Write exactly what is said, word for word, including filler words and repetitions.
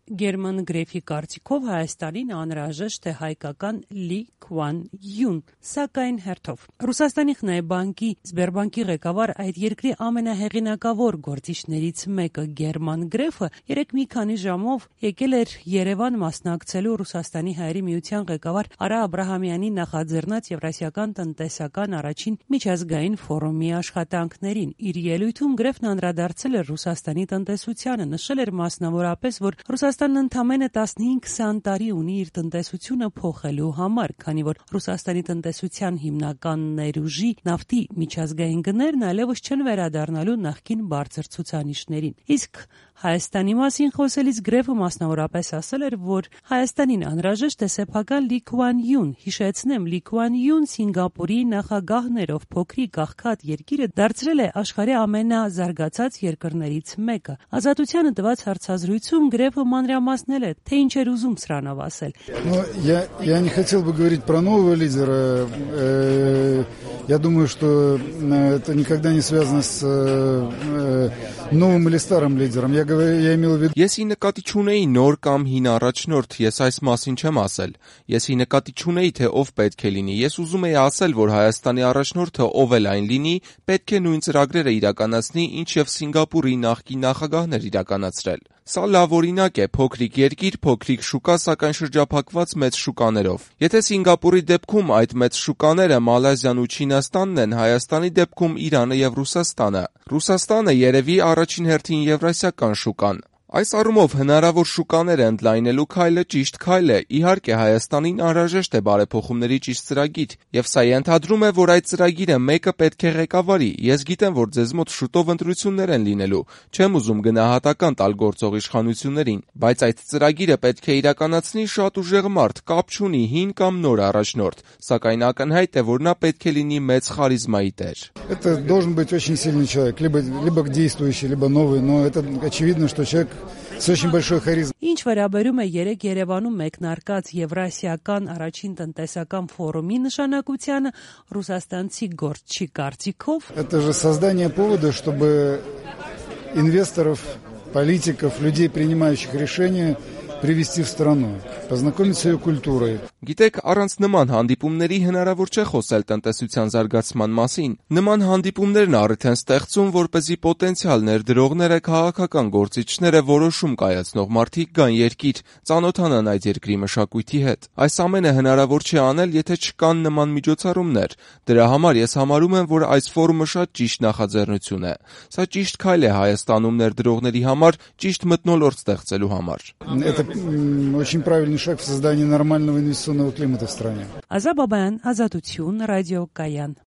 Գերման Գրեֆի կարծիքով Հայաստանին անհրաժեշտ է հայկական Լի Քուան Յուն, սակայն հերթով։ Ռուսաստանի Խնայբանկի Սբերբանկի ղեկավար այդ երկրի ամենահեղինակավոր գործիչներից մեկը Գերման Գրեֆը երեք մի քանի ժամով եկել էր Երևան մասնակցելու Ռուսաստանի Հայերի միության ղեկավար Արա Աբրահամյանի նախաձեռնած Եվրասիական տնտեսական առաջին միջազգային ֆորումի աշխատանքներին։ Իր ելույթում Գրեֆն անդրադարձել էր Ռուսաստանի տնտեսությանը, նշել էր մասնավորապես, որ Ռուսաստանն ընդամենը տասնհինգ-քսան տարի ունի իր տնտեսությունը փոխելու համար, քանի որ Ռուսաստանի տնտեսության հիմնական ներուժի նավթի միջազգային գներն այլևս չեն վերադառնալու նախկին բարձր ցուցանիշներին։ Իսկ Հայաստանի մասին խոսելիս Գրեֆը մասնավորապես ասել էր, որ Հայաստանին անհրաժեշտ է սեփական Լի Քուան Յուն։ Հիշեցնեմ, Լի Քուան Յուն Սինգապուրի նախագահներով փոքրիկ աղքատ երկիրը դարձրել է աշխարհի ամենազարգացած երկրներից մեկը։ Ազատությանը տված հարցազրույցում Գրեֆը մանրամասնել է, թե ինչ էր ուզում սրանով ասել։ Но я я не хотел бы говорить про нового лидера. Я думаю, что это никогда не связано с новым или старым лидером. Я говорю, я имел в виду. Ես ի նկատի չունեի նոր կամ հին առաջնորդ, ես այս մասին չեմ ասել։ Ես ի նկատի չունեի, թե ով պետք է լինի։ Ես ուզում էի ասել, որ Հայաստանի առաջնորդը ով էլ այն լինի, պետք է նույն ծրագրերը իրականացնի, ինչև Սինգապուրի նախկին նախագահն էր իրականացրել։ Սա լավ օրինակ է, փոքրիկ երկիր, փոքրիկ շուկա, սակայն շրջափակված մեծ շուկաներով։ Եթե Սինգապուրի դեպքում այդ մեծ շուկաները Մալայզիան ու Չինաստանն են, Հայաստանի դեպքում Իրանը եւ Ռուսաստանը։ Ռուսաստանը երևի առաջին հերթին եվրասիական շուկան։ Այս առումով հնարավոր շուկաները ընդլայնելու քայլը ճիշտ քայլ է։ Իհարկե Հայաստանին անհրաժեշտ է բարեփոխումների ճիշտ ծրագիր, եւ սա ենթադրում է, որ այդ ծրագիրը մեկը պետք է ղեկավարի։ Ես գիտեմ, որ ձեզ մոտ շուտով ընտրություններ են լինելու։ Չեմ ուզում գնահատական տալ գործող իշխանություններին, բայց այդ ծրագիրը պետք է իրականացնի շատ ուժեղ մարդ, կապ չունի հին կամ նոր առաջնորդ, սակայն ակնհայտ է, որ նա պետք է լինի մեծ խարիզմայի տեր։ Это должен быть очень сильный человек, либо либо действующий, либо новый, но это очевидно, что человек с очень большой харизмой. Ինչ վերաբերում է երեք Երևանում մեկնարկած Եվրասիական առաջին տնտեսական ֆորումի նշանակությանը, ռուսաստանցի գործչի կարծիքով, Это же создание повода, чтобы инвесторов, политиков, людей, принимающих решения, привести в страну, познакомить с ее культурой. Գիտեք, առանց նման հանդիպումների հնարավոր չէ խոսել տնտեսության զարգացման մասին։ Նման հանդիպումներն առիթ են ստեղծում, որպեսզի պոտենցիալ ներդրողները, քաղաքական գործիչները, որոշում կայացնող մարդիկ գան երկիր, ծանոթանան այդ երկրի մշակույթի հետ։ Այս ամենը հնարավոր չի անել, եթե չկան նման միջոցառումներ։ Դրա համար ես համարում եմ, որ այս ֆորումը շատ ճիշտ նախաձեռնություն է։ Սա ճիշտ քայլ է Հայաստանում ներդրողների համար, ճիշտ մթնոլորտ ստեղծելու համար։ Это очень правильный шаг в создании нормального инвестиционного климата в стране. Ազատ Բաբայան, Ազատություն, ռադիո Կայան։